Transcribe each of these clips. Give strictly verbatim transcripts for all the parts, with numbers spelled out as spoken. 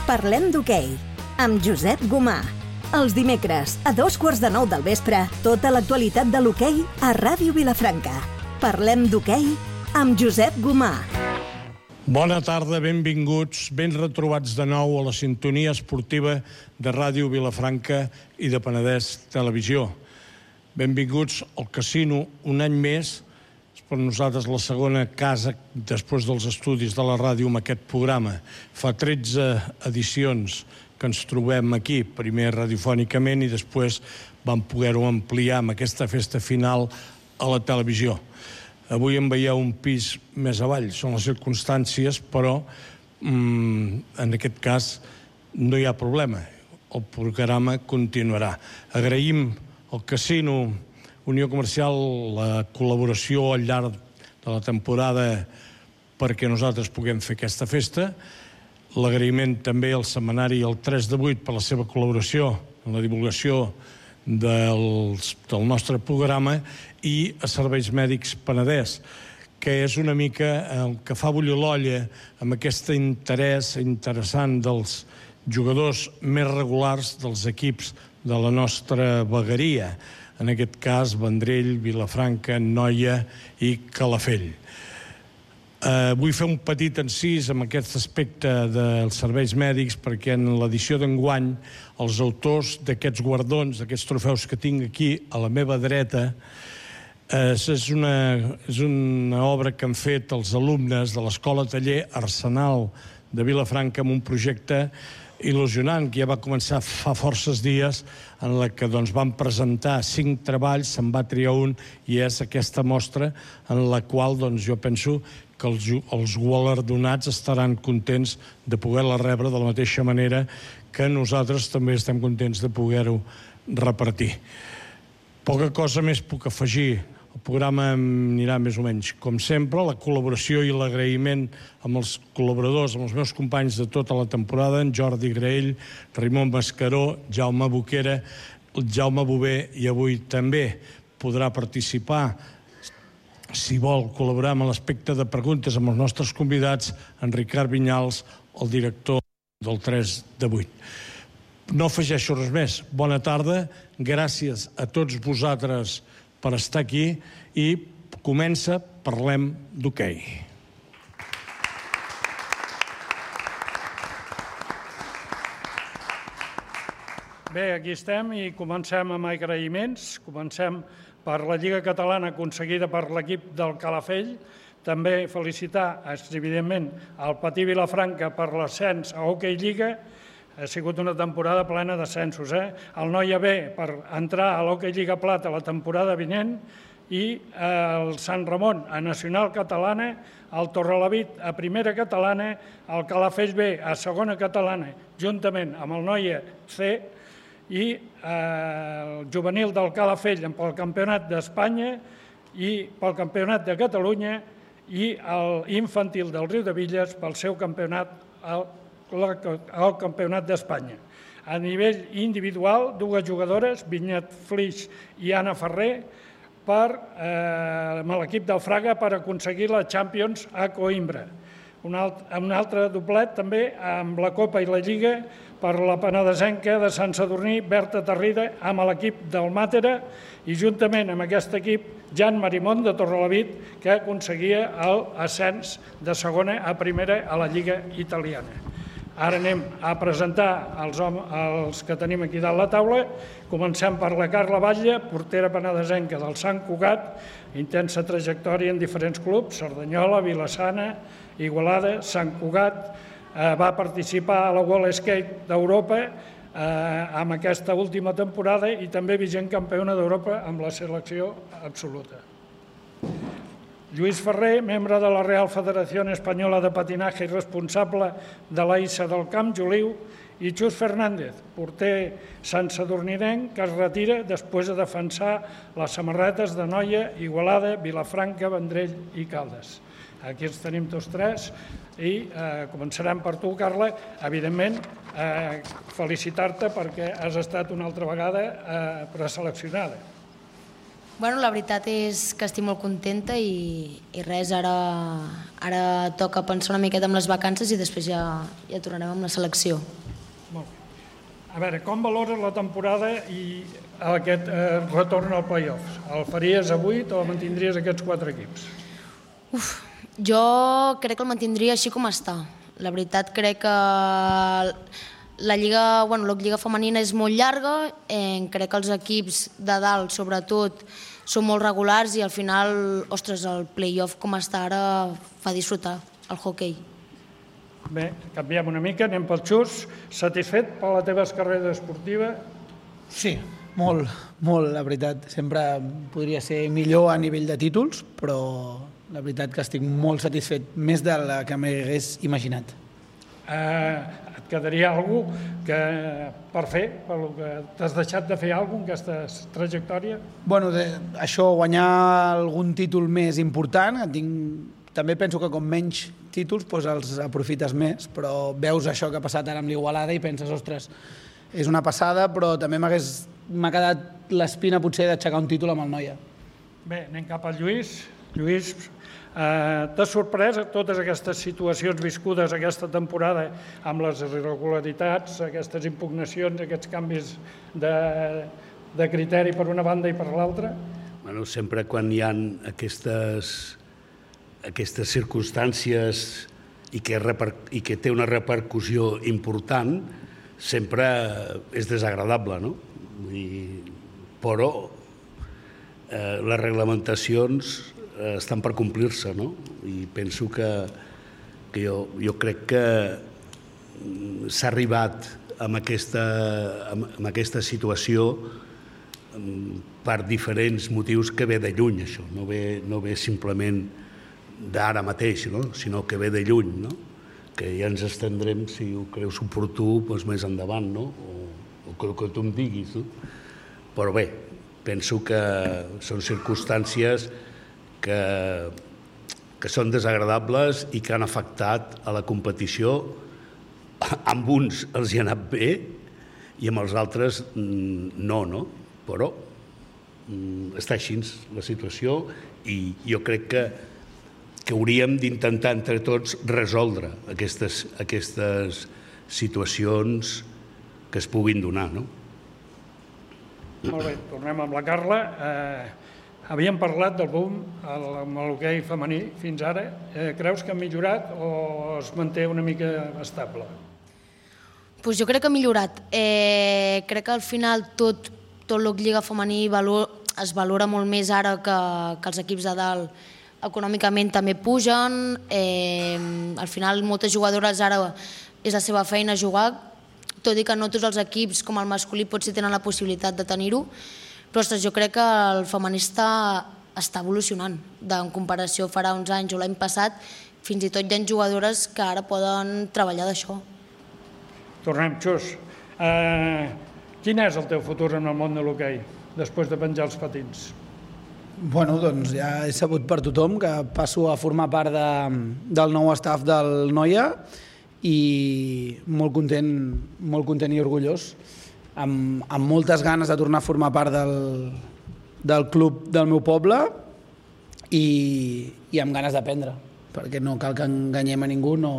Parlem d'hoquei, amb Josep Gomà. Els dimecres, a dos quarts de nou del vespre, tota l'actualitat de l'hoquei a Ràdio Vilafranca. Parlem d'hoquei amb Josep Gomà. Bona tarda, benvinguts, ben retrobats de nou a la sintonia esportiva de Ràdio Vilafranca i de Penedès Televisió. Benvinguts al casino un any més. És per nosaltres la segona casa després dels estudis de la ràdio amb aquest programa. Fa tretze edicions que ens trobem aquí, primer radiofònicament i després vam poder-ho ampliar amb aquesta festa final a la televisió. Avui em veieu un pis més avall, són les circumstàncies, però mmm, en aquest cas no hi ha problema. El programa continuarà. Agraïm al Casino Unió Comercial la col·laboració al llarg de la temporada perquè nosaltres puguem fer aquesta festa. L'agraïment també al setmanari El tres de vuit per la seva col·laboració en la divulgació dels, del nostre programa i a Serveis Mèdics Penedès, que és una mica el que fa bullir l'olla amb aquest interès interessant dels jugadors més regulars dels equips de la nostra vegueria, en aquest cas Vendrell, Vilafranca, Noia i Calafell. Uh, vull fer un petit encís amb aquest aspecte dels serveis mèdics perquè en l'edició d'enguany els autors d'aquests guardons, d'aquests trofeus que tinc aquí a la meva dreta, uh, és, una, és una obra que han fet els alumnes de l'Escola Taller Arsenal de Vilafranca amb un projecte il·lusionant que ja va començar fa forces dies en la que doncs, van presentar cinc treballs, se'n va triar un i és aquesta mostra en la qual doncs, jo penso que els, els guardonats estaran contents de poder-la rebre de la mateixa manera que nosaltres també estem contents de poder-ho repartir. Poca cosa més puc afegir. El programa anirà més o menys com sempre, la col·laboració i l'agraïment amb els col·laboradors, amb els meus companys de tota la temporada, en Jordi Graell, Raimon Mascaró, Jaume Boquera, Jaume Bové, i avui també podrà participar, si vol col·laborar amb l'aspecte de preguntes amb els nostres convidats, en Ricard Vinyals, el director del tres de vuit. No afegeixo res més. Bona tarda, gràcies a tots vosaltres per estar aquí i comença Parlem d'hoquei. Bé, aquí estem i comencem amb agraïments. Comencem per la Lliga Catalana aconseguida per l'equip del Calafell. També felicitar, evidentment, al Patí Vilafranca per l'ascens a Hockey Lliga. Ha sigut una temporada plena d'ascensos. Eh? El Noia B per entrar a l'Hockey Lliga Plata la temporada vinent i el Sant Ramon a Nacional Catalana, el Torrelavit a Primera Catalana, el Calafell B a Segona Catalana, juntament amb el Noia C, i el juvenil del Calafell pel Campionat d'Espanya i pel Campionat de Catalunya i l'infantil del Riu de Villes pel seu campionat al al Campionat d'Espanya. A nivell individual, dues jugadores, Vinyet Flix i Anna Ferrer, per eh, l'equip del Fraga per aconseguir la Champions a Coimbra. Un, alt, un altre doblet també amb la Copa i la Lliga per la penedesenca de Sant Sadurní, Berta Tarrida, amb l'equip del Màtera i juntament amb aquest equip Jan Marimón de Torrelavit, que aconseguia l'ascens de segona a primera a la Lliga italiana. Ara anem a presentar els, els que tenim aquí dalt la taula. Comencem per la Carla Batlle, portera penedesenca del Sant Cugat, intensa trajectòria en diferents clubs, Cerdanyola, Vila-sana, Igualada, Sant Cugat. Eh, va participar a la World Skate d'Europa eh, amb aquesta última temporada i també vigent campiona d'Europa amb la selecció absoluta. Lluís Ferrer, membre de la Real Federació Espanyola de Patinaje i responsable de l'A I S A del Camp Joliu, i Xus Fernández, porter sant sadurninenc, que es retira després de defensar les samarretes de Noia, Igualada, Vilafranca, Vendrell i Caldes. Aquí els tenim tots tres i eh, començarem per tu, Carla. Evidentment, eh, felicitar-te perquè has estat una altra vegada eh, preseleccionada. Bueno, la veritat és que estic molt contenta i, i res, ara, ara toca pensar una miqueta amb les vacances i després ja, ja tornarem amb la selecció. Molt bé. A veure, com valores la temporada i aquest eh, retorn al play-offs? El faries a vuit o mantindries aquests quatre equips? Uf, jo crec que el mantindria així com està. La veritat crec que la lliga, bueno, la lliga femenina és molt llarga, eh, crec que els equips de dalt, sobretot, són molt regulars i al final, ostres, el play-off com està ara fa disfrutar el hoquei. Bé, canviem una mica, anem pel Xus. Satisfet per la teva carrera esportiva? Sí, molt, molt, la veritat. Sempre podria ser millor a nivell de títols, però la veritat que estic molt satisfet, més de la que m'hagués imaginat. Eh, et quedaria alguna cosa que, per fer, per lo que t'has deixat de fer alguna cosa en aquesta trajectòria? Bueno, de, això, guanyar algun títol més important, tinc, també penso que com menys títols doncs els aprofites més, però veus això que ha passat ara amb l'Igualada i penses, ostres, és una passada, però també m'ha quedat l'espina potser d'aixecar un títol amb el Noia. Bé, anem cap al Lluís. Lluís, eh, t'ha sorprès totes aquestes situacions viscudes aquesta temporada amb les irregularitats, aquestes impugnacions, aquests canvis de, de criteri per una banda i per l'altra? Bueno, sempre quan hi ha aquestes, aquestes circumstàncies i que, reper, i que té una repercussió important, sempre és desagradable, no? I, però eh, les reglamentacions estan per complir-se, no? I penso que, que jo, jo crec que s'ha arribat amb aquesta, amb aquesta situació per diferents motius que ve de lluny, això. No ve, no ve simplement d'ara mateix, no? Sinó que ve de lluny, no? Que ja ens estendrem, si ho creus oportú, doncs més endavant, no? O, o que, que tu em diguis, no? Però bé, penso que són circumstàncies que, que són desagradables i que han afectat a la competició. Amb uns els hi ha anat bé i amb els altres no, no? Però està així la situació i jo crec que, que hauríem d'intentar entre tots resoldre aquestes, aquestes situacions que es puguin donar, no? Molt bé, tornem amb la Carla. Eh, havíem parlat del boom amb l'hoquei femení fins ara. Eh, creus que ha millorat o es manté una mica estable? Pues jo crec que ha millorat. Eh, crec que al final tot, tot el lliga femení valor, es valora molt més ara que, que els equips de dalt econòmicament també pugen. Eh, al final moltes jugadores ara és la seva feina jugar, tot i que no tots els equips com el masculí potser tenen la possibilitat de tenir-ho, però ostres, jo crec que el femení està, està evolucionant. En comparació farà uns anys o l'any passat, fins i tot hi ha jugadores que ara poden treballar d'això. Tornem, Xus. Eh, quin és el teu futur en el món de l'hoquei, després de penjar els patins? Bueno, doncs ja he sabut per tothom que passo a formar part de, del nou staff del Noia i molt content, molt content i orgullós, amb, amb moltes ganes de tornar a formar part del, del club del meu poble i, i amb ganes d'aprendre, perquè no cal que enganyem a ningú, no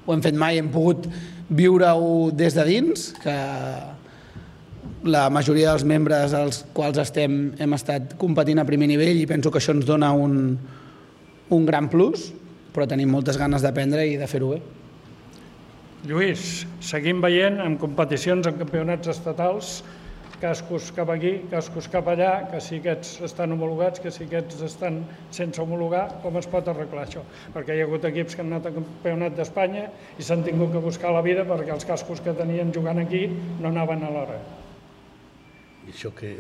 ho hem fet mai, hem pogut viure-ho des de dins, que la majoria dels membres als quals estem hem estat competint a primer nivell i penso que això ens dona un, un gran plus, però tenim moltes ganes d'aprendre i de fer-ho bé. Lluís, seguim veient en competicions, en campionats estatals, cascos cap aquí, cascos cap allà, que si aquests estan homologats, que si aquests estan sense homologar, com es pot arreglar això? Perquè hi ha hagut equips que han anat al campionat d'Espanya i s'han tingut que buscar la vida perquè els cascos que tenien jugant aquí no anaven a l'hora. I això que,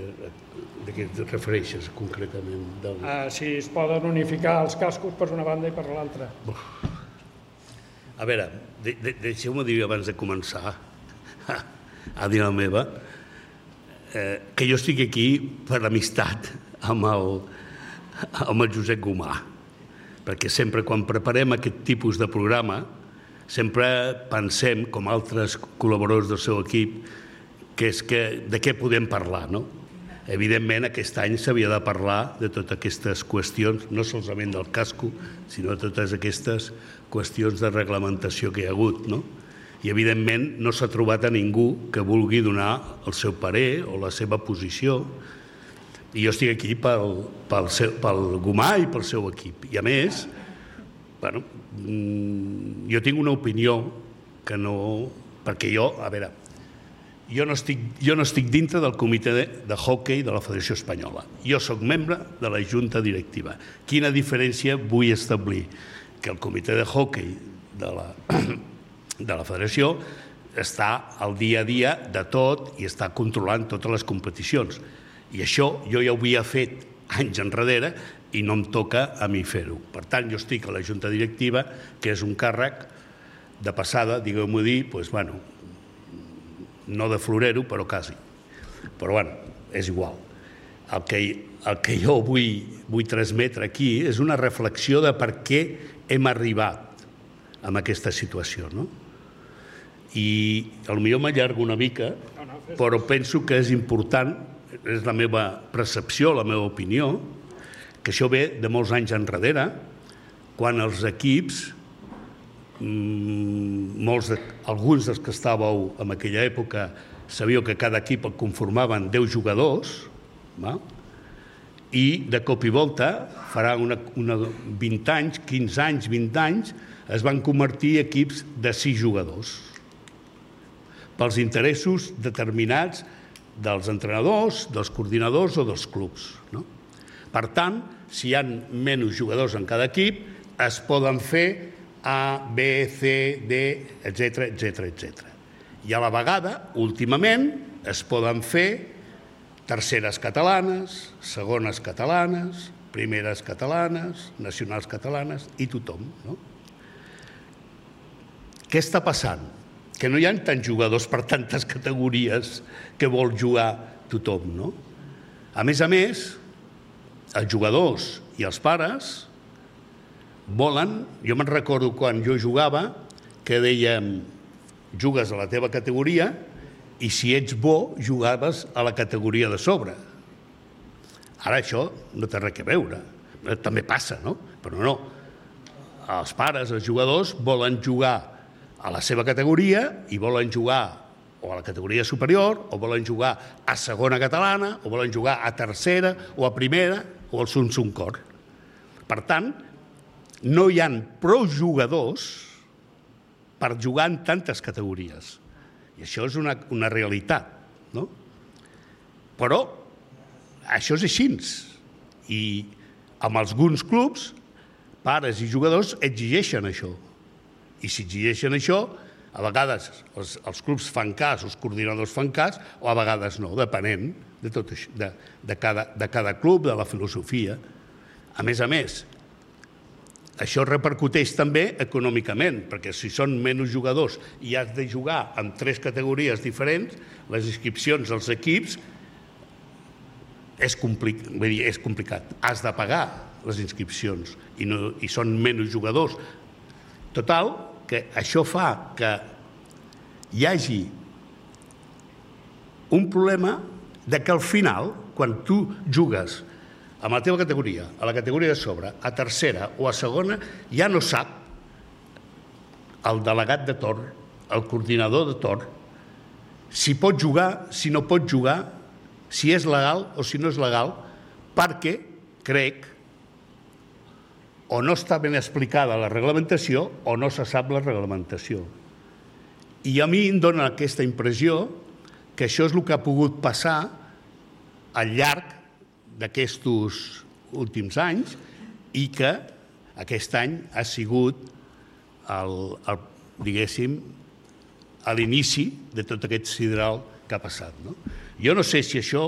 de què et refereixes concretament? Del... Uh, si es poden unificar els cascos per una banda i per l'altra. A veure, de, de, deixeu-me dir abans de començar a, a dir la meva, eh, que jo estic aquí per amistat amb el, amb el Josep Gomà, perquè sempre quan preparem aquest tipus de programa sempre pensem, com altres col·laboradors del seu equip, que és que, de què podem parlar, no? Evidentment, aquest any s'havia de parlar de totes aquestes qüestions, no solament del casco, sinó de totes aquestes qüestions de reglamentació que hi ha hagut, no? I, evidentment, no s'ha trobat a ningú que vulgui donar el seu parer o la seva posició. I jo estic aquí pel, pel, seu, pel Gomà i pel seu equip. I, a més, bueno, jo tinc una opinió que no... Perquè jo, a veure, jo no estic, jo no estic dintre del comitè de, de hoquei de la Federació Espanyola. Jo sóc membre de la Junta Directiva. Quina diferència vull establir? Que el comitè de hoquei de la, de la Federació està al dia a dia de tot i està controlant totes les competicions. I això jo ja ho havia fet anys enrere i no em toca a mi fer-ho. Per tant, jo estic a la Junta Directiva, que és un càrrec de passada, digueu-m'ho dir, doncs, bueno, no de florero, però quasi. Però, bueno, és igual. El que, el que jo vull, vull transmetre aquí és una reflexió de per què hem arribat a aquesta situació, no? I potser m'allargo una mica, però penso que és important, és la meva percepció, la meva opinió, que això ve de molts anys enrere, quan els equips, molts de, alguns dels que estàveu en aquella època, sabíeu que cada equip el conformaven deu jugadors, va? I de cop i volta, farà una, una vint anys, quinze anys, vint anys, es van convertir en equips de sis jugadors, pels interessos determinats dels entrenadors, dels coordinadors o dels clubs, no? Per tant, si hi ha menys jugadors en cada equip, es poden fer A, B, C, D, etcètera, etcètera, etcètera. I a la vegada, últimament, es poden fer terceres catalanes, segones catalanes, primeres catalanes, nacionals catalanes i tothom, no? Què està passant? Que no hi ha tants jugadors per tantes categories que vol jugar tothom, no? A més a més, els jugadors i els pares volen, jo me'n recordo quan jo jugava, que dèiem, jugues a la teva categoria i si ets bo, jugaves a la categoria de sobre. Ara això no té res a veure. També passa, no? Però no. Els pares, els jugadors, volen jugar a la seva categoria i volen jugar o a la categoria superior, o volen jugar a segona catalana, o volen jugar a tercera, o a primera, o al Sunsum Cor. Per tant, no hi ha prou jugadors per jugar en tantes categories. I això és una, una realitat, no? Però això és així. I amb alguns clubs, pares i jugadors exigeixen això. I si exigeixen això, a vegades els, els clubs fan cas, els coordinadors fan cas, o a vegades no, depenent de, tot això, de, de, cada, de cada club, de la filosofia. A més a més, això repercuteix també econòmicament, perquè si són menys jugadors i has de jugar en tres categories diferents, les inscripcions als equips és, complic, vull dir, és complicat. Has de pagar les inscripcions i, no, i són menys jugadors. Total, que això fa que hi hagi un problema de que al final, quan tu jugues amb la teva categoria, a la categoria de sobre, a tercera o a segona, ja no sap el delegat de torn, el coordinador de torn, si pot jugar, si no pot jugar, si és legal o si no és legal, perquè, crec, o no està ben explicada la reglamentació o no se sap la reglamentació. I a mi em dona aquesta impressió que això és el que ha pogut passar al llarg d'aquests últims anys i que aquest any ha sigut el, el, diguéssim, a l'inici de tot aquest sidral que ha passat, no? Jo no sé si això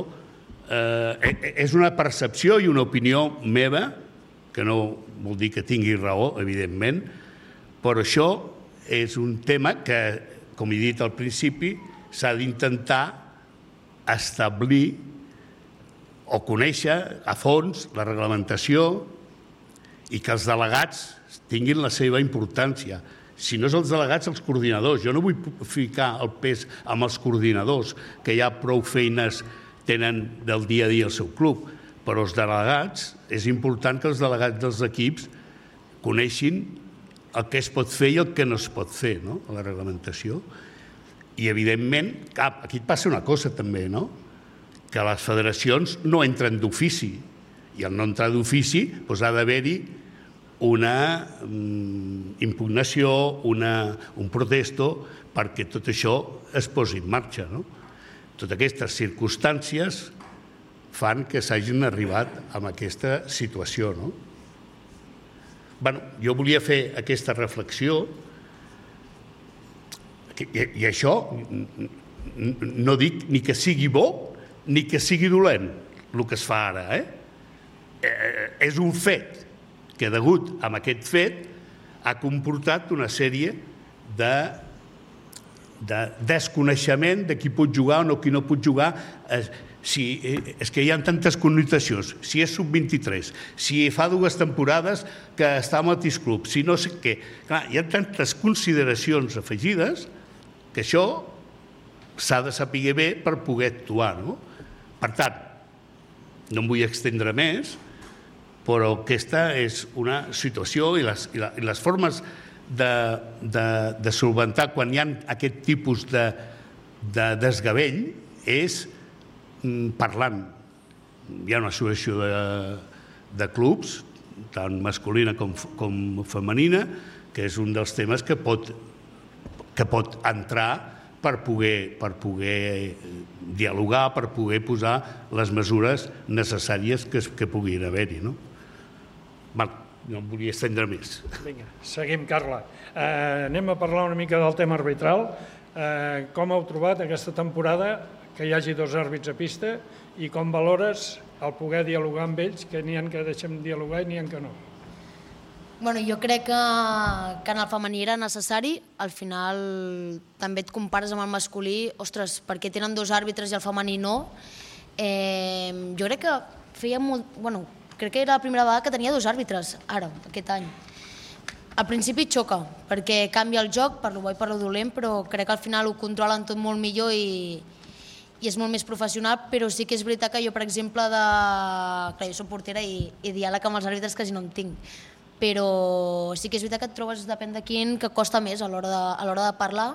eh, és una percepció i una opinió meva, que no vol dir que tingui raó, evidentment, però això és un tema que, com he dit al principi, s'ha d'intentar establir o conèixer a fons la reglamentació i que els delegats tinguin la seva importància. Si no és els delegats, els coordinadors. Jo no vull ficar el pes amb els coordinadors, que hi ha prou feines tenen del dia a dia el seu club, però els delegats, és important que els delegats dels equips coneixin el que es pot fer i el que no es pot fer, no?, a la reglamentació. I, evidentment, aquí et passa una cosa també, no?, que les federacions no entren d'ofici, i al no entrar d'ofici doncs ha d'haver-hi una impugnació, una, un protesto, perquè tot això es posi en marxa, no? Totes aquestes circumstàncies fan que s'hagin arribat a aquesta situació, no? Bueno, jo volia fer aquesta reflexió i, i això no dic ni que sigui bo ni que sigui dolent el que es fa ara, eh? eh és un fet que degut a aquest fet ha comportat una sèrie de, de desconeixement de qui pot jugar o no, qui no pot jugar. Eh, si, eh, és que hi ha tantes connotacions, si és sub vint-i-tres, si fa dues temporades que està al mateix club, si no sé què. Clar, hi ha tantes consideracions afegides que això s'ha de saber bé per poder actuar, no? Per tant, no em vull extendre més, però aquesta és una situació i les, i la, i les formes de, de, de solventar quan hi ha aquest tipus de, de desgavell és parlant. Hi ha una associació de, de clubs, tant masculina com, com femenina, que és un dels temes que pot, que pot entrar per poder, per poder dialogar, per poder posar les mesures necessàries que, que puguin haver-hi, no? Val, no em volia estendre més. Vinga, seguim, Carla. Eh, anem a parlar una mica del tema arbitral. Eh, com heu trobat aquesta temporada que hi hagi dos àrbits a pista i com valores el poder dialogar amb ells, que n'hi ha que deixem dialogar i n'hi ha que no? Bueno, jo crec que, que en el femení era necessari. Al final també et compares amb el masculí. Ostres, per què tenen dos àrbitres i el femení no? Eh, jo crec que feia molt... Bueno, crec que era la primera vegada que tenia dos àrbitres, ara, aquest any. Al principi xoca, perquè canvia el joc, per lo bo i per lo dolent, però crec que al final ho controlen tot molt millor i, i és molt més professional, però sí que és veritat que jo, per exemple, de... Clar, jo soc portera i, i diàleg amb els àrbitres quasi no en tinc, però sí que és veritat que et trobes, depèn de quin, que costa més a l'hora de, a l'hora de parlar,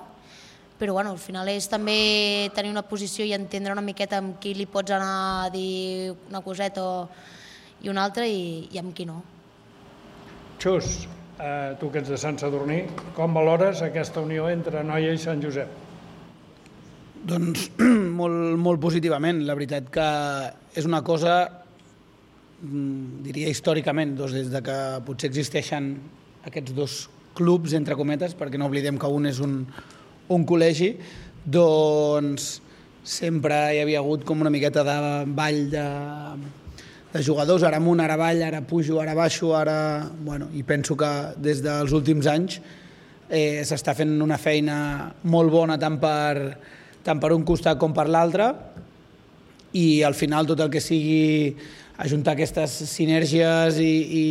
però bueno, al final és també tenir una posició i entendre una miqueta amb qui li pots anar a dir una coseta o, i una altra i, i amb qui no. Xus, eh, tu que ets de Sant Sadurní, com valores aquesta unió entre Noia i Sant Josep? Doncs molt, molt positivament. La veritat que és una cosa, diria històricament, doncs des de que potser existeixen aquests dos clubs, entre cometes, perquè no oblidem que un és un, un col·legi, doncs sempre hi havia hagut com una miqueta de ball de, de jugadors, ara amunt, ara avall, ara pujo, ara baixo, ara... Bueno, i penso que des dels últims anys eh, s'està fent una feina molt bona tant per, tant per un costat com per l'altre, i al final tot el que sigui ajuntar aquestes sinergies i, i,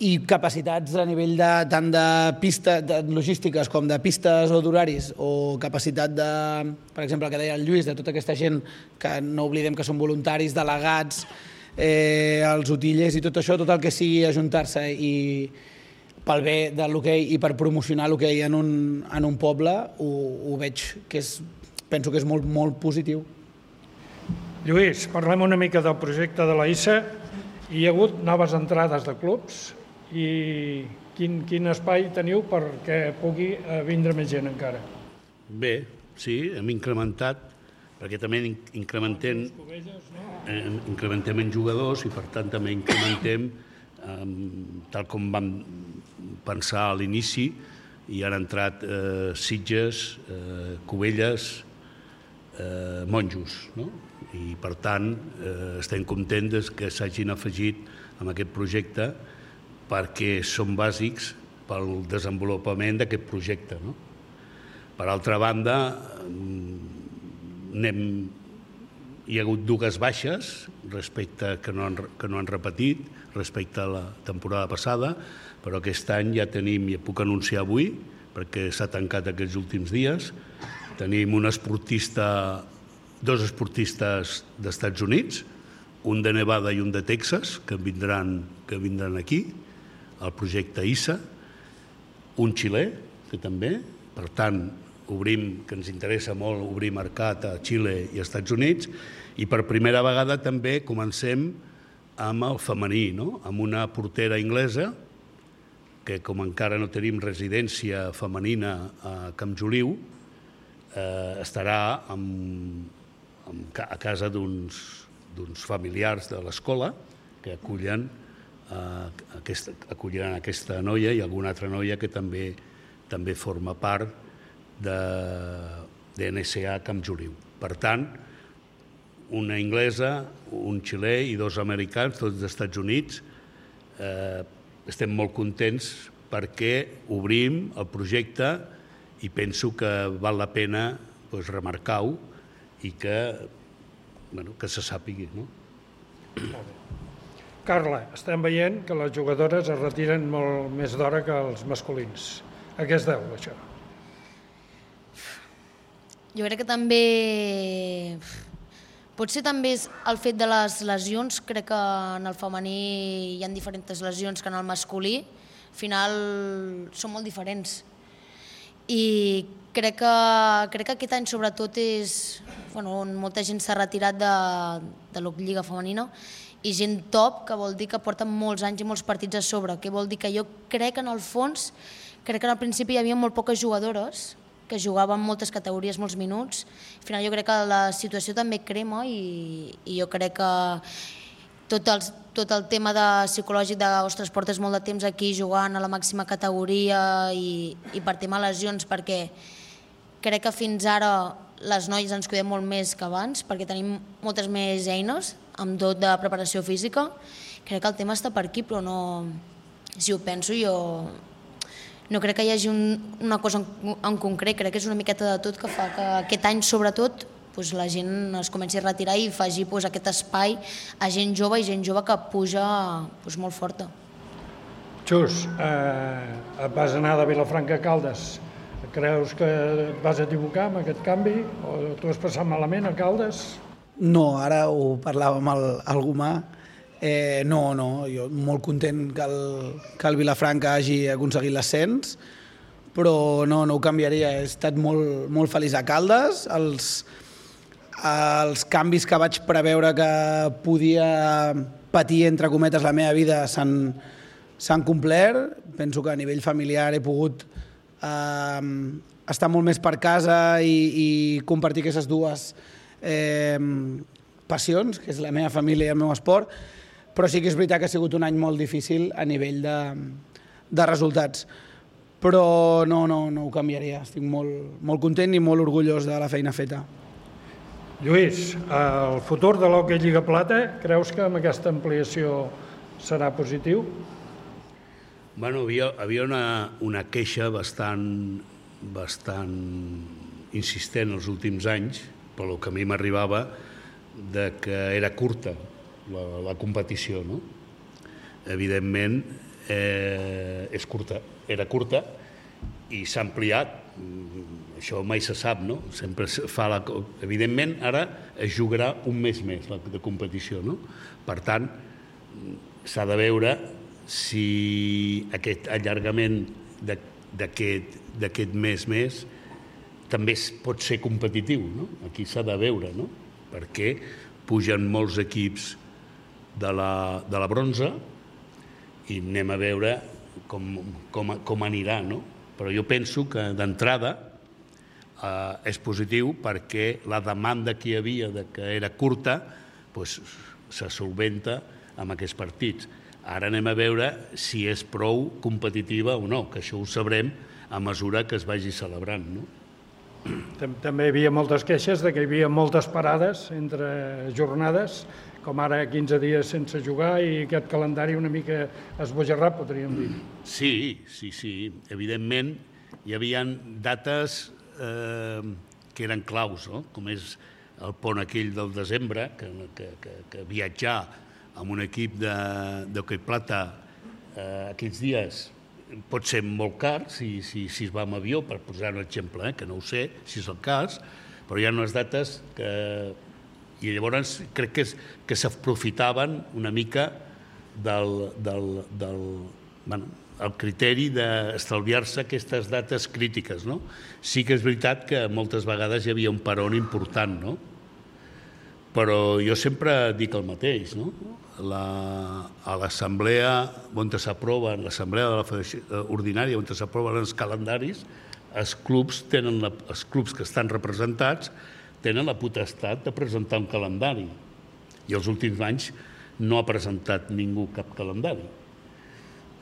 i capacitats a nivell de, tant de pistes de logístiques com de pistes o d'horaris, o capacitat de, per exemple, el que deia el Lluís, de tota aquesta gent que no oblidem que són voluntaris, delegats, eh, els utillers i tot això, tot el que sigui ajuntar-se i pel bé de l'hoquei i per promocionar l'hoquei en, un, en un poble, ho, ho veig que és, penso que és molt, molt positiu. Lluís, parlem una mica del projecte de la I S A. Hi ha hagut noves entrades de clubs i quin, quin espai teniu perquè pugui vindre més gent encara? Bé, sí, hem incrementat, perquè també incrementem, incrementem en jugadors i per tant també incrementem, tal com vam pensar a l'inici, i han entrat eh, Sitges, eh, Cubelles, eh, Monjos, no? I per tant eh, estem contents que s'hagin afegit en aquest projecte perquè són bàsics pel desenvolupament d'aquest projecte, no? Per altra banda, anem, hi ha hagut dues baixes respecte que no han, que no han repetit respecte a la temporada passada, però aquest any ja tenim, ja puc anunciar avui, perquè s'ha tancat aquests últims dies, Tenim un esportista, dos esportistes d'Estats Units, un de Nevada i un de Texas, que vindran, que vindran aquí, al projecte I S A, un xilè, que també, per tant, obrim, que ens interessa molt obrir mercat a Xile i als Estats Units, i per primera vegada també comencem amb el femení, no? Amb una portera anglesa, que com encara no tenim residència femenina a Camp Joliu, eh, estarà amb, amb, a casa d'uns d'uns familiars de l'escola que acullen, eh, aquesta, acolliran aquesta noia i alguna altra noia que també, també forma part de, de N S A Camp Joliu. Per tant, una anglesa, un xilè i dos americans, tots dels Estats Units. Eh, estem molt contents perquè obrim el projecte i penso que val la pena doncs, remarcar-ho i que, bueno, que se sàpigui. No? Carla, estem veient que les jugadores es retiren molt més d'hora que els masculins. A què es deu, això? Jo crec que també... Potser també és el fet de les lesions. Crec que en el femení hi ha diferents lesions que en el masculí. Al final són molt diferents. I crec que, crec que aquest any sobretot és... Bueno, on molta gent s'ha retirat de, de la Lliga Femenina i gent top, que vol dir que porten molts anys i molts partits a sobre. Que vol dir que jo crec que en el fons, crec que al principi hi havia molt poques jugadores que jugaven moltes categories, molts minuts. Al final jo crec que la situació també crema i, i jo crec que tot el, tot el tema de psicològic de ostres, portes molt de temps aquí jugant a la màxima categoria i, i per tema lesions, perquè crec que fins ara les noies ens cuidem molt més que abans, perquè tenim moltes més eines amb tot de preparació física. Crec que el tema està per aquí, però no... Si ho penso, jo... No crec que hi hagi un, una cosa en, en concret, crec que és una miqueta de tot que fa que aquest any, sobretot, doncs, la gent es comenci a retirar i faci doncs, aquest espai a gent jove i gent jove que puja doncs, molt forta. Xus, eh, et vas anar de Vilafranca a Caldes. Creus que et vas equivocar amb aquest canvi? O t'ho has passat malament a Caldes? No, ara ho parlava amb el, el Gomà. Eh, no, no, jo molt content que el, que el Vilafranca hagi aconseguit l'ascens, però no, no ho canviaria. He estat molt, molt feliç a Caldes. Els, els canvis que vaig preveure que podia patir, entre cometes, la meva vida s'han s'han complert. Penso que a nivell familiar he pogut eh, estar molt més per casa i, i compartir aquestes dues eh, passions, que és la meva família i el meu esport, però sí que és veritat que ha sigut un any molt difícil a nivell de, de resultats. Però no, no, no ho canviaria. Estic molt, molt content i molt orgullós de la feina feta. Lluís, el futur de l'Hockey Lliga Plata, creus que amb aquesta ampliació serà positiu? Bueno, havia, havia una, una queixa bastant, bastant insistent els últims anys, pel que a mi m'arribava, de que era curta la, la competició, no? Evidentment, eh, és curta, era curta i s'ha ampliat. Això mai se sap, no? Sempre fa la... Evidentment, ara es jugarà un mes més de competició, no? Per tant, s'ha de veure si aquest allargament d'aquest mes més també pot ser competitiu, no? Aquí s'ha de veure, no? Perquè pugen molts equips de la, de la bronze i anem a veure com, com, com anirà, no? Però jo penso que d'entrada eh, és positiu perquè la demanda que hi havia de que era curta doncs, se solventa amb aquests partits. Ara anem a veure si és prou competitiva o no, que això ho sabrem a mesura que es vagi celebrant, no? També hi havia moltes queixes de que hi havia moltes parades entre jornades, com ara quinze dies sense jugar i aquest calendari una mica esbojarrat, podríem dir. Sí, sí, sí. Evidentment, hi havia dates eh, que eren claus, no? Com és el pont aquell del desembre, que, que, que, que viatjar amb un equip d'hoquei plata eh, aquells dies pot ser molt car si, si, si es va amb avió, per posar un exemple, eh, que no ho sé, si és el cas, però hi ha unes dates que... I llavors crec que, que s'aprofitaven una mica del, del, del bueno, el criteri d'estalviar-se aquestes dates crítiques, no? Sí que és veritat que moltes vegades hi havia un peron important, no? Però jo sempre dic el mateix, no? La, a l'assemblea on s'aproven, l'assemblea de la Federació Ordinària on s'aproven els calendaris, els clubs, tenen la, els clubs que estan representats tenen la potestat de presentar un calendari. I els últims anys no ha presentat ningú cap calendari.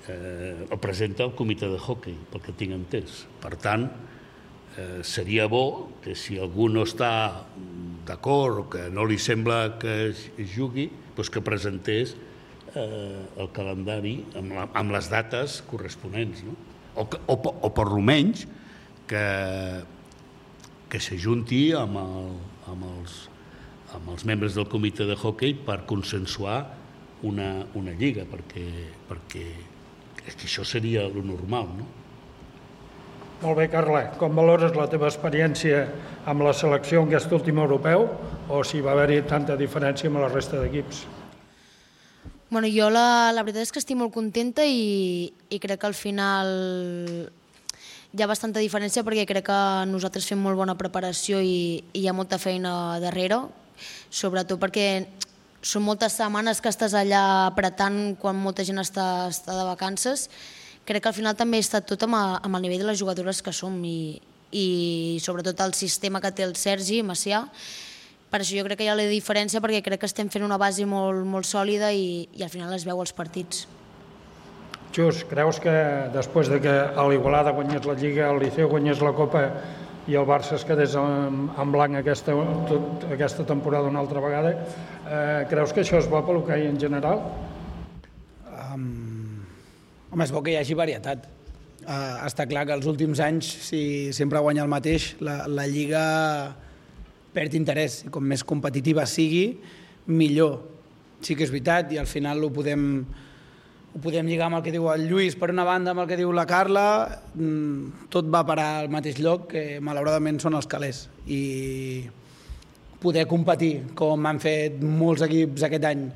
Eh, el presenta el comitè de hoquei, pel que tinc entès. Per tant, eh, seria bo que si algú no està d'acord o que no li sembla que es jugui, doncs que presentés eh, el calendari amb, la, amb les dates corresponents, no? O, o, o per almenys que, que s'ajunti amb, el, amb, els, amb els membres del comitè de hoquei per consensuar una, una lliga, perquè, perquè és que això seria el normal, no? Molt bé, Carla. Com valores la teva experiència amb la selecció en aquest últim europeu o si va haver-hi tanta diferència amb la resta d'equips? Bueno, jo la, la veritat és que estic molt contenta i, i crec que al final hi ha bastanta diferència perquè crec que nosaltres fem molt bona preparació i, i hi ha molta feina darrere, sobretot perquè són moltes setmanes que estàs allà apretant quan molta gent està, està de vacances. Crec que al final també està tot amb, a, amb el nivell de les jugadores que som i, i sobretot el sistema que té el Sergi Macià. Per això jo crec que hi ha la diferència perquè crec que estem fent una base molt, molt sòlida i, i al final es veu als partits. Just, creus que després de que l'Igualada guanyés la Lliga, el Liceu guanyés la Copa i el Barça es quedés en, en blanc aquesta, tot, aquesta temporada una altra vegada, eh, creus que això és bo pel hoquei en general? Um... Home, és bo que hi hagi varietat. Uh, està clar que els últims anys, si sempre guanya el mateix, la, la Lliga perd interès. Com més competitiva sigui, millor. Sí que és veritat, i al final ho podem, ho podem lligar amb el que diu el Lluís, per una banda, amb el que diu la Carla, tot va parar al mateix lloc, que malauradament són els calés. I poder competir, com han fet molts equips aquest any,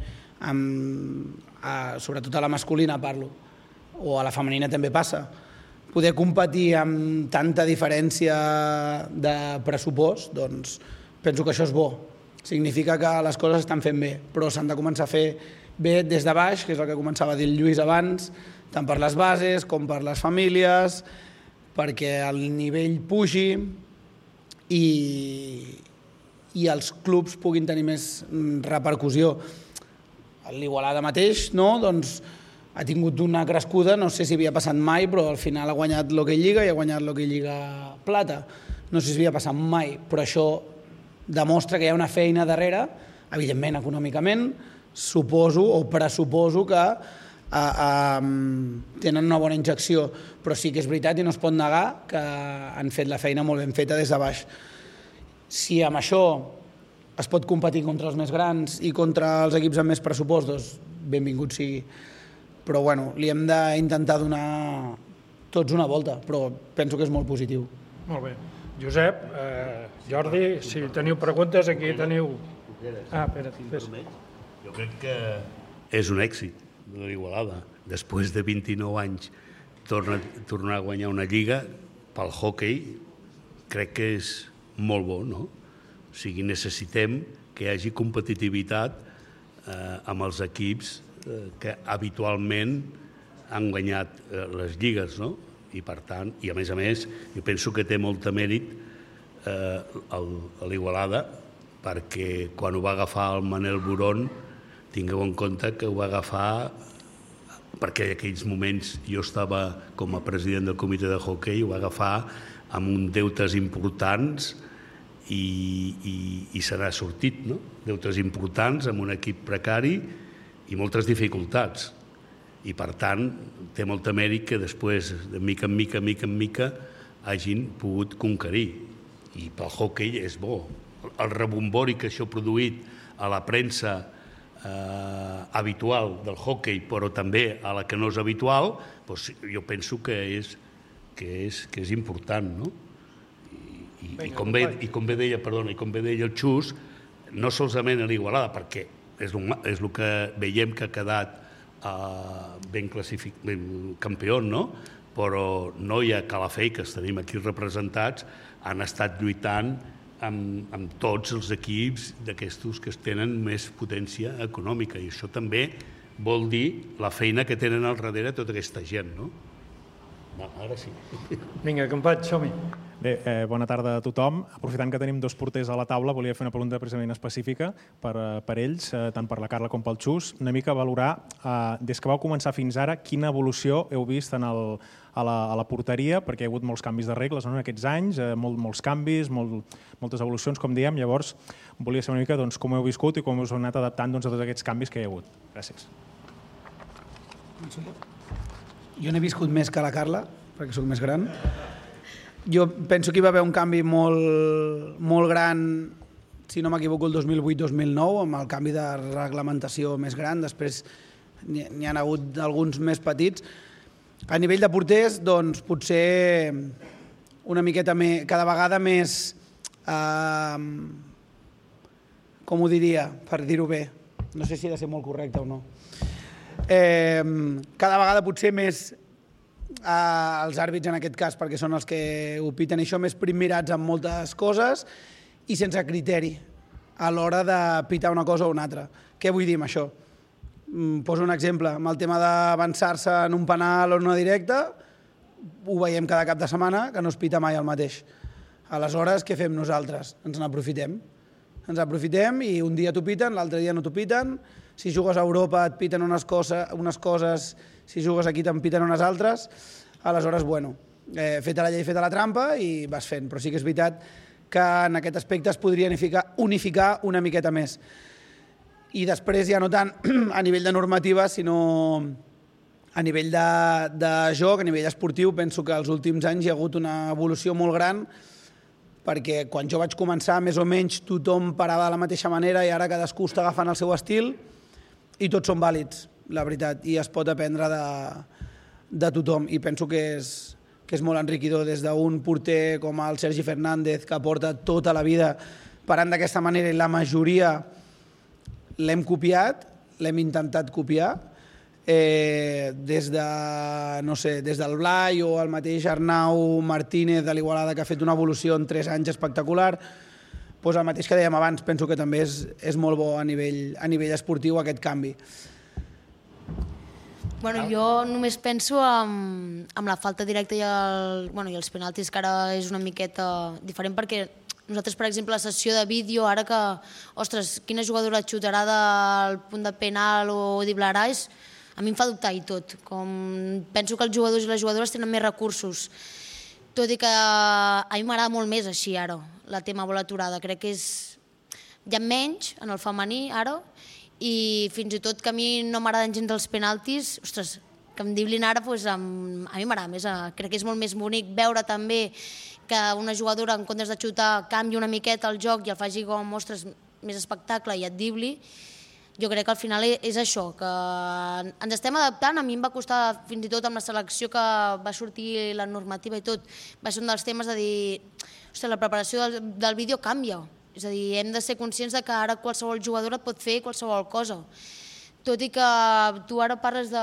amb, a, sobretot a la masculina parlo, o a la femenina també passa, poder competir amb tanta diferència de pressupost, doncs penso que això és bo. Significa que les coses estan fent bé, però s'han de començar a fer bé des de baix, que és el que començava a dir el Lluís abans, tant per les bases com per les famílies, perquè el nivell pugi i, i els clubs puguin tenir més repercussió. L'Igualada mateix, no? Doncs ha tingut una crescuda, no sé si havia passat mai, però al final ha guanyat l'Hockey Lliga i ha guanyat l'Hockey Lliga Plata. No sé si havia passat mai, però això demostra que hi ha una feina darrere, evidentment econòmicament, suposo o pressuposo que eh, eh, tenen una bona injecció, però sí que és veritat i no es pot negar que han fet la feina molt ben feta des de baix. Si amb això es pot competir contra els més grans i contra els equips amb més pressupost, doncs benvingut sigui. Però bueno, li hem d'intentar donar tots una volta, però penso que és molt positiu. Molt bé. Josep, eh, Jordi, si teniu preguntes, aquí teniu... Ah, espera't, fes. Jo crec que és un èxit de l'Igualada. Després de vint-i-nou anys torna, tornar a guanyar una lliga pel hoquei, crec que és molt bo, no? O sigui, necessitem que hi hagi competitivitat eh, amb els equips que habitualment han guanyat les lligues, no? I per tant, i a més a més, jo penso que té molt de mèrit eh, l'Igualada, perquè quan ho va agafar el Manel Burón, tingueu en compte que ho va agafar perquè en aquells moments jo estava com a president del comitè de hoquei, ho va agafar amb uns deutes importants i, i, i se n'ha sortit, no? Deutes importants amb un equip precari i moltes dificultats. I, per tant, té molta mèrit que després, de mica en mica, mica en mica, hagin pogut conquerir. I pel hoquei és bo. El rebombori que això ha produït a la premsa eh, habitual del hockey, però també a la que no és habitual, doncs jo penso que és, que és, que és important, no? I, i, com bé, i com bé deia, perdona, i com bé deia el Xus, no solament a l'Igualada, perquè és el, és el que veiem que ha quedat uh, ben classificat, ben campió, no? Però Noia, Calafell, que tenim aquí representats, han estat lluitant amb, amb tots els equips d'aquestos que tenen més potència econòmica, i això també vol dir la feina que tenen al darrere tota aquesta gent, no? Va, ara sí. Vinga, companys, som-hi. Bé, eh, bona tarda a tothom. Aprofitant que tenim dos porters a la taula, volia fer una pregunta precisament específica per, per ells, eh, tant per la Carla com pel Xus, una mica valorar, eh, des que vau començar fins ara, quina evolució heu vist en el, a, la, a la porteria, perquè hi ha hagut molts canvis de regles no, en aquests anys, eh, molt, molts canvis, molt, moltes evolucions, com diem. Llavors, volia saber una mica doncs, com heu viscut i com us heu anat adaptant doncs, a tots aquests canvis que hi ha hagut. Gràcies. Jo n'he viscut més que la Carla, perquè sóc més gran. Jo penso que hi va haver un canvi molt, molt gran, si no m'equivoco, el dos mil vuit dos mil nou, amb el canvi de reglamentació més gran. Després n'hi ha hagut alguns més petits. A nivell de porters, doncs, potser una miqueta més, cada vegada més, eh, com ho diria, per dir-ho bé, no sé si ha de ser molt correcte o no, eh, cada vegada potser més eh, els àrbits en aquest cas, perquè són els que opiten això, més primmirats en moltes coses i sense criteri a l'hora de pitar una cosa o una altra. Què vull dir amb això? Poso un exemple, amb el tema d'avançar-se en un penal o en una directa, ho veiem cada cap de setmana, que no es pita mai el mateix. Aleshores, què fem nosaltres? Ens n'aprofitem. Ens aprofitem i un dia t'ho piten, l'altre dia no t'ho piten. Si jugues a Europa et piten unes coses, unes coses si jugues aquí te'n piten unes altres. Aleshores, bueno, eh, feta la llei, feta la trampa i vas fent. Però sí que és veritat que en aquest aspecte es podria unificar, unificar una miqueta més. I després ja no tant a nivell de normativa, sinó a nivell de, de joc, a nivell esportiu, penso que els últims anys hi ha hagut una evolució molt gran, perquè quan jo vaig començar, més o menys tothom parava de la mateixa manera i ara cadascú està agafant el seu estil i tots són vàlids, la veritat, i es pot aprendre de, de tothom. I penso que és, que és molt enriquidor des d'un porter com el Sergi Fernández, que porta tota la vida parant d'aquesta manera i la majoria l'hem copiat, l'hem intentat copiar, eh, des de, no sé, des del Blai o el mateix Arnau Martínez de l'Igualada, que ha fet una evolució en tres anys espectacular. Pues el mateix que dèiem abans, penso que també és, és molt bo a nivell, a nivell esportiu aquest canvi. Bueno, jo només penso en, en la falta directa i, el, bueno, i els penaltis, que ara és una miqueta diferent, perquè nosaltres, per exemple, la sessió de vídeo, ara que, ostres, quina jugadora xutarà del punt de penal o driblarà, és, a mi em fa dubtar i tot. Com penso que els jugadors i les jugadores tenen més recursos, tot i que a mi m'agrada molt més així ara, la tema bola aturada. Crec que és... hi ha menys en el femení ara, i fins i tot que a mi no m'agraden gens els penaltis, ostres, que em driblin ara, doncs, a mi m'agrada més. Crec que és molt més bonic veure també que una jugadora, en comptes de xutar, canvi una miqueta el joc i el faci com, ostres, més espectacle i et dribli. Jo crec que al final és això, que ens estem adaptant. A mi em va costar, fins i tot amb la selecció que va sortir la normativa i tot, va ser un dels temes de dir, ostres, la preparació del, del vídeo canvia. És a dir, hem de ser conscients de que ara qualsevol jugadora pot fer qualsevol cosa. Tot i que tu ara parles de...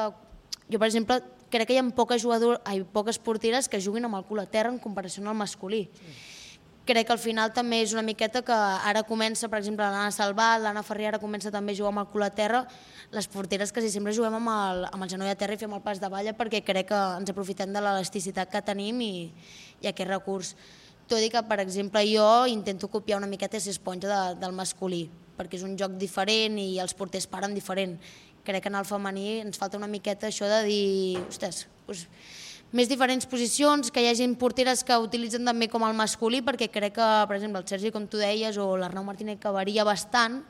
Jo, per exemple, crec que hi ha poques, jugador... ai, poques porteres que juguin amb el cul a terra en comparació al masculí. Crec que al final també és una miqueta que ara comença, per exemple, l'Anna Salvat, l'Anna Ferrer ara comença també a jugar amb el cul a terra, les porteres quasi sempre juguem amb el, amb el genoll a terra i fem el pas de balla, perquè crec que ens aprofitem de l'elasticitat que tenim i, i aquest recurs. Tot i que, per exemple, jo intento copiar una miqueta ser esponja de, del masculí, perquè és un joc diferent i els porters paren diferent. Crec que en el femení ens falta una miqueta això de dir, ostres, doncs, més diferents posicions, que hi hagi porteres que utilitzen també com el masculí, perquè crec que, per exemple, el Sergi, com tu deies, o l'Arnau Martínez, que varia bastant,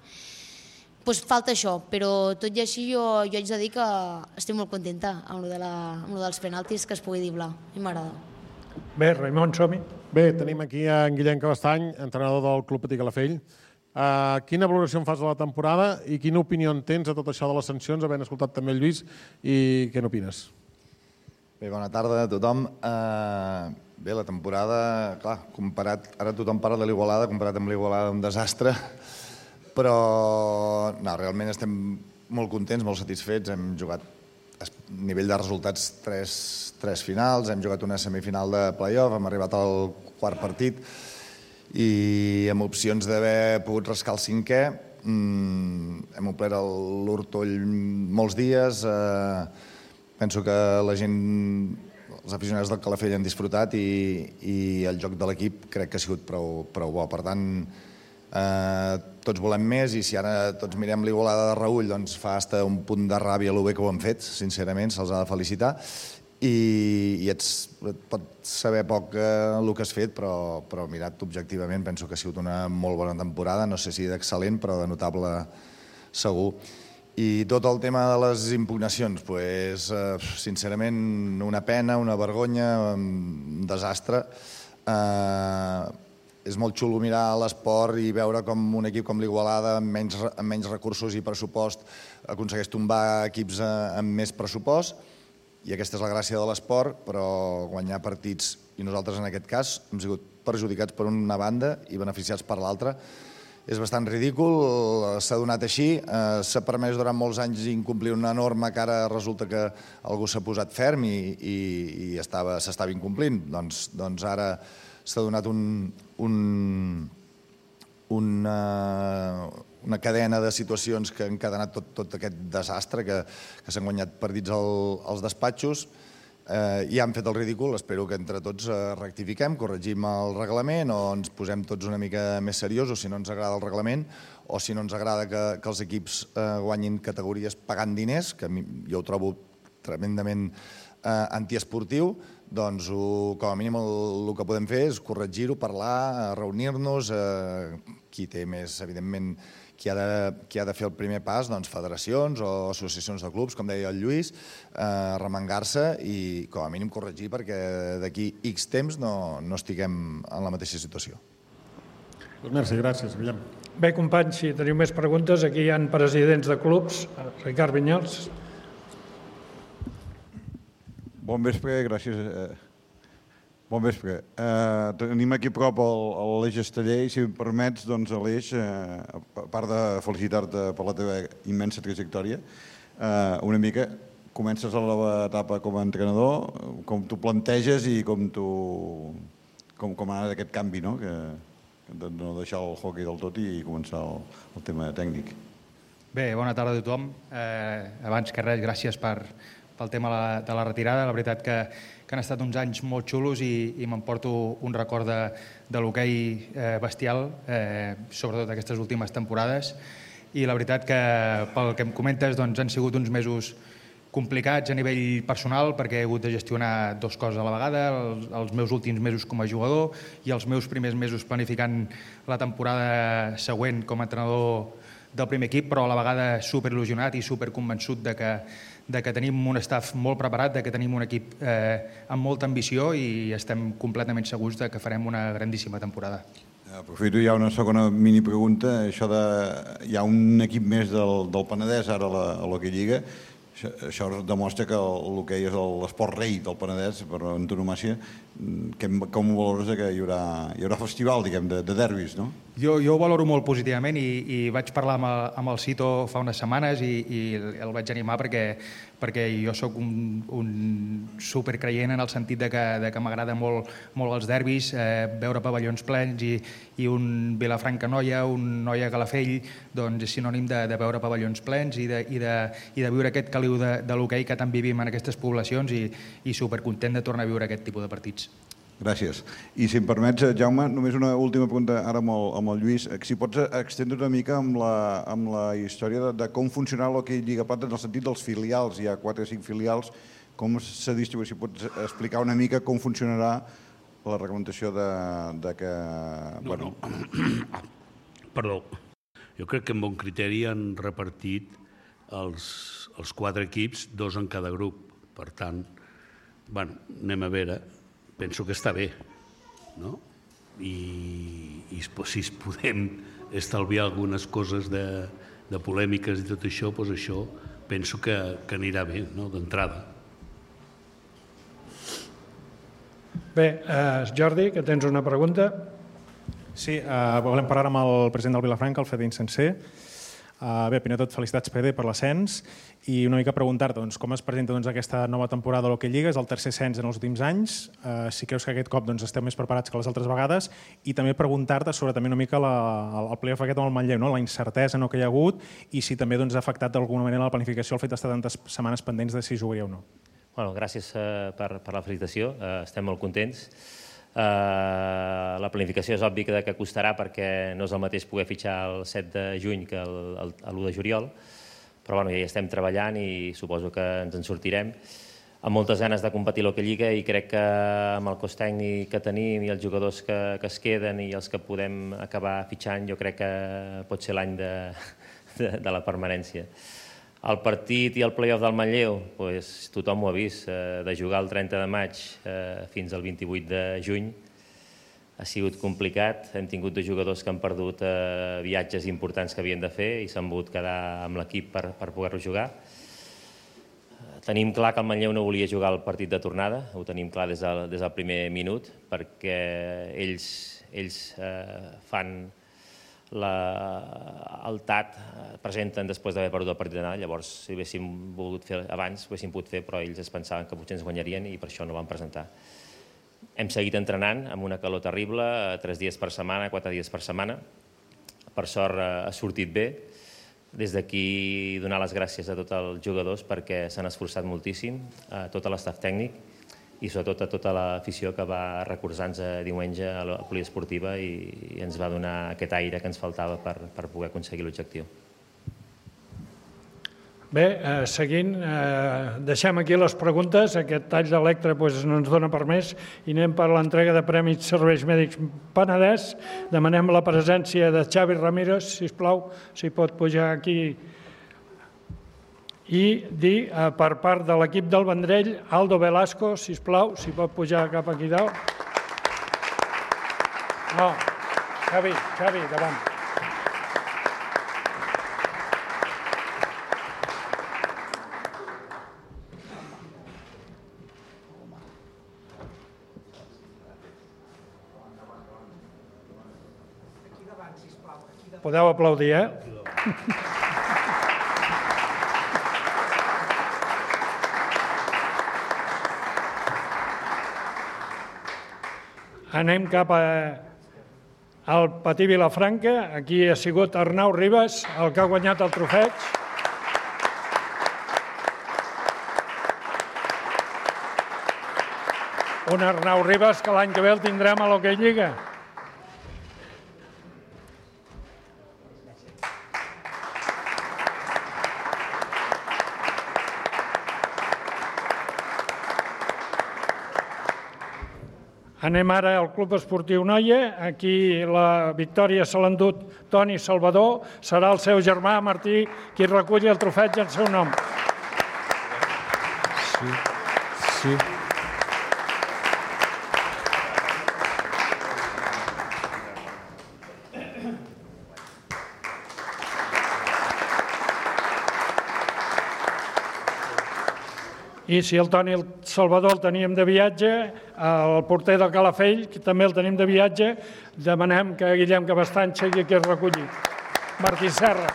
doncs falta això. Però tot i així jo, jo haig de dir que estic molt contenta amb lo, de la, amb lo dels penaltis, que es pugui driblar. A mi m'agrada. Bé, Raimon, som-hi. Bé, tenim aquí en Guillem Cabestany, entrenador del Club Patí Calafell. Uh, quina valoració en fas de la temporada i quina opinió en tens de tot això de les sancions, havent escoltat també el Lluís, i què n'opines? Bé, bona tarda a tothom. Uh, bé, la temporada, clar, comparat, ara tothom parla de l'Igualada, comparat amb l'Igualada un desastre, però no, realment estem molt contents, molt satisfets. Hem jugat a nivell de resultats tres, tres finals, hem jugat una semifinal de play-off, hem arribat al quart partit i amb opcions d'haver pogut rascar el cinquè. Mm, hem omplert l'Hortoll molts dies, eh, penso que la gent, els aficionats del Calafell han disfrutat i, i el joc de l'equip crec que ha sigut prou, prou bo. Per tant, eh, tots volem més i si ara tots mirem l'Igualada de Raül, doncs fa hasta un punt de ràbia el bé que ho han fet, sincerament, se'ls ha de felicitar. I, i ets, et pot saber poc eh, el que has fet, però, però mirat objectivament penso que ha sigut una molt bona temporada, no sé si d'excel·lent, però de notable segur. I tot el tema de les impugnacions, pues, eh, sincerament, una pena, una vergonya, un desastre. Eh, és molt xulo mirar l'esport i veure com un equip com l'Igualada, amb menys, amb menys recursos i pressupost, aconsegueix tombar equips amb més pressupost, i aquesta és la gràcia de l'esport, però guanyar partits, i nosaltres en aquest cas, hem sigut perjudicats per una banda i beneficiats per l'altra. És bastant ridícul, s'ha donat així, s'ha permès durant molts anys incomplir una norma que ara resulta que algú s'ha posat ferm i, i, i s'estava incomplint. Doncs, doncs ara s'ha donat un, un, una, una cadena de situacions que han encadenat tot, tot aquest desastre, que, que s'han guanyat partits al, als despatxos, eh, i han fet el ridícul. Espero que entre tots eh, rectifiquem, corregim el reglament o ens posem tots una mica més seriosos si no ens agrada el reglament o si no ens agrada que, que els equips eh, guanyin categories pagant diners, que jo ho trobo tremendament eh, antiesportiu. Doncs ho, com a mínim el, el que podem fer és corregir-ho, parlar, reunir-nos, eh, qui té més, evidentment, qui ha, de, qui ha de fer el primer pas, doncs federacions o associacions de clubs, com deia el Lluís, eh, remengar-se i com a mínim corregir perquè d'aquí X temps no, no estiguem en la mateixa situació. Doncs merci, gràcies, Guillem. Bé, companys, si teniu més preguntes, aquí hi ha presidents de clubs. Ricard Vinyals. Bon vespre, gràcies. Bon vespre. Eh, tenim aquí a prop l'Aleix Esteller i si em permets, doncs, Aleix, eh, a part de felicitar-te per la teva immensa trajectòria, eh, una mica comences a la nova etapa com a entrenador, com tu planteges i com tu com, com ha anat aquest canvi, no? Que, de no deixar el hockey del tot i començar el, el tema tècnic. Bé, bona tarda a tothom. Eh, abans que res, gràcies per pel tema de la retirada. La veritat que, que han estat uns anys molt xulos i, i m'emporto un record de, de l'hoquei eh, bestial, eh, sobretot aquestes últimes temporades. I la veritat que, pel que em comentes, doncs, han sigut uns mesos complicats a nivell personal perquè he hagut de gestionar dues coses a la vegada, els, els meus últims mesos com a jugador i els meus primers mesos planificant la temporada següent com a entrenador del primer equip, però a la vegada superil·lusionat i superconvençut de que de que tenim un staff molt preparat, de que tenim un equip eh, amb molta ambició i estem completament segurs de que farem una grandíssima temporada. Aprofito ja una segona mini pregunta. Això de... Hi ha un equip més del, del Penedès ara a la, a l'Hockey Lliga. Això, això demostra que l'hoquei és l'esport rei del Penedès, per antonomàcia. Com ho valores que hi haurà, hi haurà festival, diguem, de, de derbis, no? Jo, jo ho valoro molt positivament i, i vaig parlar amb el, amb el Cito fa unes setmanes i, i el vaig animar perquè, perquè jo sóc un, un supercreient en el sentit de que, de que m'agrada molt, molt els derbis, eh, veure pavellons plens i, i un Vilafranca-Noia, un Noia-Calafell, doncs és sinònim de, de veure pavellons plens i de, i de, i de viure aquest caliu de, de l'hoquei que tant vivim en aquestes poblacions i, i supercontent de tornar a viure aquest tipus de partits. Gràcies. I si em permets, Jaume, només una última pregunta ara amb el, amb el Lluís. Si pots extendre una mica amb la, amb la història de, de com funciona l'hoquei Lliga Plata en el sentit dels filials. Hi ha quatre o cinc filials. Com se distribueix? Si pots explicar una mica com funcionarà la reglamentació de, de que... No, bueno... no. Perdó. Jo crec que amb bon criteri han repartit els, els quatre equips, dos en cada grup. Per tant, bueno, anem a veure... Penso que està bé, no? I, i i si es podem estalviar algunes coses de, de polèmiques i tot això, doncs això penso que, que anirà bé, no?, d'entrada. Bé, eh, Jordi, que tens una pregunta. Sí, eh, volem parlar amb el president del Vilafranca, el Fede Insenser. Uh, bé, primer de tot, felicitats, Fede, per l'ascens i una mica preguntar doncs, com es presenta doncs, aquesta nova temporada de l'Hockey Lliga. És el tercer ascens en els últims anys. Uh, si creus que aquest cop doncs, esteu més preparats que les altres vegades, i també preguntar-te sobre també una mica la, el playoff aquest amb el Manlleu, no? La incertesa no, que hi ha hagut, i si també doncs, ha afectat d'alguna manera la planificació el fet d'estar tantes setmanes pendents de si jugaria o no. Bueno, gràcies uh, per, per la felicitació, uh, estem molt contents. Uh, la planificació és obvi que, que costarà, perquè no és el mateix poder fitxar el set de juny que l'u de juliol, però bueno, ja hi estem treballant i suposo que ens en sortirem amb moltes ganes de competir a l'Hockey Lliga, i crec que amb el cos tècnic que tenim i els jugadors que, que es queden i els que podem acabar fitxant, jo crec que pot ser l'any de, de, de la permanència. El partit i el play-off del Manlleu, doncs, tothom ho ha vist, eh, de jugar el trenta de maig eh, fins al vint-i-vuit de juny ha sigut complicat. Hem tingut dos jugadors que han perdut eh, viatges importants que havien de fer i s'han volgut quedar amb l'equip per, per poder-lo jugar. Eh, tenim clar que el Manlleu no volia jugar el partit de tornada, ho tenim clar des del, des del primer minut, perquè ells, ells eh, fan La, el T A T presenten després d'haver perdut el partit d'anada, llavors si haguéssim volgut fer abans ho haguéssim pogut fer, però ells es pensaven que potser ens guanyarien i per això no van presentar. Hem seguit entrenant amb una calor terrible, tres dies per setmana, quatre dies per setmana. Per sort ha sortit bé. Des d'aquí donar les gràcies a tots els jugadors perquè s'han esforçat moltíssim, a tot l'estaf tècnic i sobretot a tota l'afició que va recolzar-nos diumenge a la poliesportiva i ens va donar aquest aire que ens faltava per, per poder aconseguir l'objectiu. Bé, eh, seguint, eh, deixem aquí les preguntes. Aquest tall d'electre doncs, no ens dona per més i anem per l'entrega de Premis Serveis Mèdics Penedès. Demanem la presència de Xavi Ramírez, sisplau, si pot pujar aquí i dir eh, per part de l'equip del Vendrell, Aldo Velasco, sisplau, si pot pujar cap aquí dalt. No, Xavi, Xavi, davant. Podeu aplaudir, eh? Anem cap al Patí Vilafranca. Aquí ha sigut Arnau Ribas, el que ha guanyat el trofeig. Un Arnau Ribas que l'any que ve el tindrem a l'Hockey Lliga. Anem ara al Club Esportiu Noia. Aquí la victòria se l'ha endut Toni Salvador. Serà el seu germà Martí qui reculli el trofeig en seu nom. Sí, sí. I si el Toni Salvador el teníem de viatge, el porter del Calafell, que també el tenim de viatge, demanem que Guillem Cabestany sigui aquí el recolli. Martí Serra.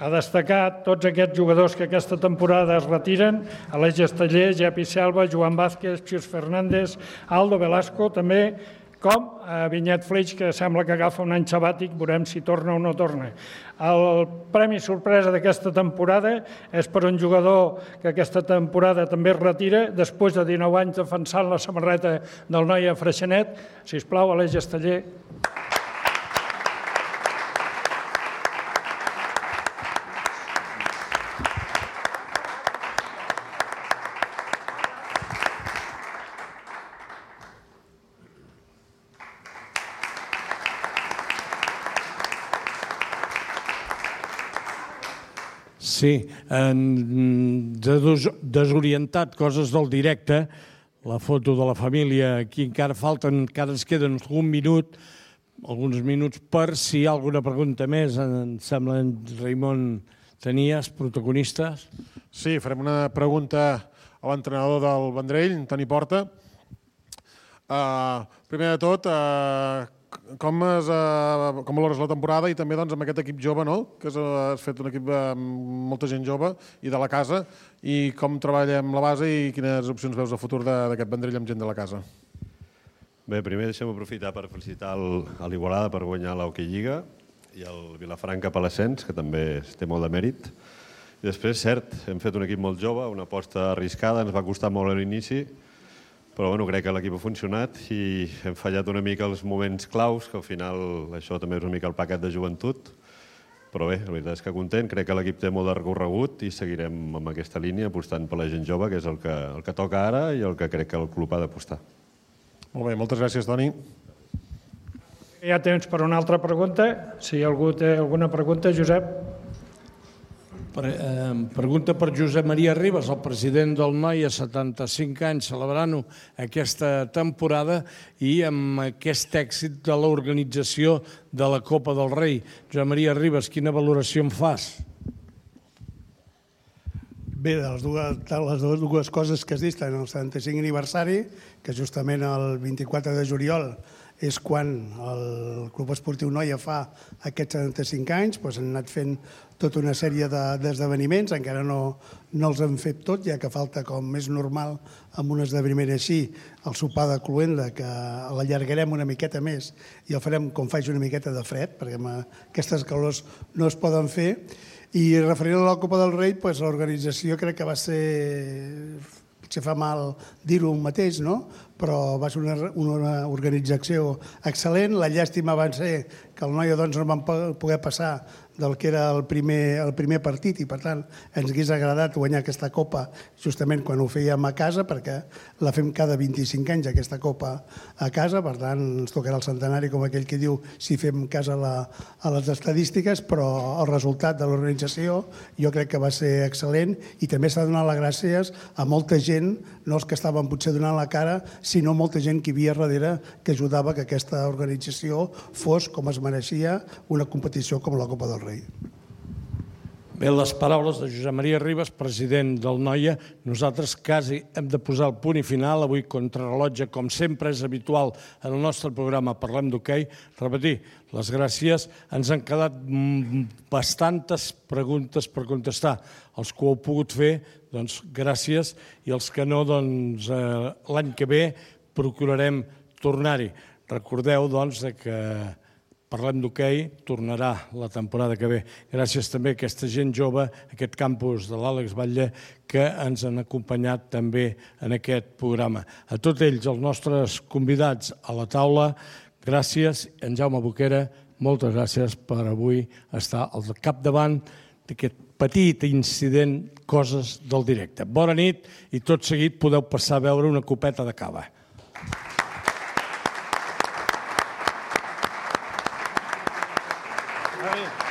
A destacar tots aquests jugadors que aquesta temporada es retiren: Aleix Esteller, Jepi Selva, Joan Vázquez, Xius Fernández, Aldo Velasco, també com a Vinyet Flix, que sembla que agafa un any sabàtic, veurem si torna o no torna. El premi sorpresa d'aquesta temporada és per un jugador que aquesta temporada també es retira, després de dinou anys defensant la samarreta del Noia Freixenet. Sisplau, Aleix Esteller. Sí, desorientat, coses del directe, la foto de la família, aquí encara falten, encara ens queden un minut, alguns minuts per si hi ha alguna pregunta més. Em sembla, Raimon, tenies protagonistes? Sí, farem una pregunta a l'entrenador del Vendrell, Toni Porta. Primer de tot, com valores la temporada i també amb aquest equip jove, que has fet un equip amb molta gent jove i de la casa, i com treballem la base i quines opcions veus de futur d'aquest Vendrell amb gent de la casa? Bé, primer deixem aprofitar per felicitar l'Igualada per guanyar l'Hockey Lliga i el Vilafranca per l'ascens, que també té molt de mèrit. I després, cert, hem fet un equip molt jove, una aposta arriscada, ens va costar molt a l'inici, però bueno, crec que l'equip ha funcionat i hem fallat una mica els moments claus, que al final això també és una mica el paquet de joventut. Però bé, la veritat és que content, crec que l'equip té molt de recorregut i seguirem amb aquesta línia apostant per la gent jove, que és el que, el que toca ara i el que crec que el club ha d'apostar. Molt bé, moltes gràcies, Toni. Hi ha temps per una altra pregunta. Si algú té alguna pregunta, Josep. Pregunta per Josep Maria Ribas, el president del Noia, setanta-cinc anys, celebrant-ho aquesta temporada i amb aquest èxit de l'organització de la Copa del Rei. Josep Maria Ribas, quina valoració en fas? Bé, de les dues coses que has dit, en el setanta-cinc aniversari, que justament el vint-i-quatre de juliol és quan el Club Esportiu Noia fa aquests setanta-cinc anys, doncs han anat fent tota una sèrie d'esdeveniments, encara no els hem fet tot, ja que falta, com és normal amb un esdeveniment així, el sopar de Cluenda, que l'allargarem una miqueta més i el farem com faig una miqueta de fred, perquè aquestes calors no es poden fer. I referent a la Copa del Rei, l'organització crec que va ser, potser fa mal dir-ho mateix, no? Però va ser una organització excel·lent. La llàstima va ser que el Noia no van poder passar del que era el primer partit i, per tant, ens hagués agradat guanyar aquesta Copa justament quan ho fèiem a casa, perquè la fem cada vint-i-cinc anys, aquesta Copa a casa, per tant, ens tocarà el centenari, com aquell que diu, si fem cas a les estadístiques, però el resultat de l'organització jo crec que va ser excel·lent i també s'ha donat les gràcies a molta gent, no els que estaven potser donant la cara, sinó molta gent que hi havia darrere que ajudava que aquesta organització fos, com es mereixia, una competició com la Copa del Rei. Bé, les paraules de Josep Maria Ribas, president del Noia. Nosaltres quasi hem de posar el punt i final. Avui, contrarrellotge, com sempre és habitual en el nostre programa Parlem d'Hoquei. Repetir, les gràcies. Ens han quedat bastantes preguntes per contestar. Els que ho heu pogut fer, doncs gràcies, i els que no, doncs l'any que ve procurarem tornar-hi. Recordeu, doncs, que Parlem d'Hoquei tornarà la temporada que ve. Gràcies també a aquesta gent jove, aquest campus de l'Àlex Batlle, que ens han acompanyat també en aquest programa. A tots ells, els nostres convidats a la taula, gràcies. En Jaume Boquera, moltes gràcies per avui estar al capdavant d'aquest petit incident, coses del directe. Bona nit i tot seguit podeu passar a veure una copeta de cava. Very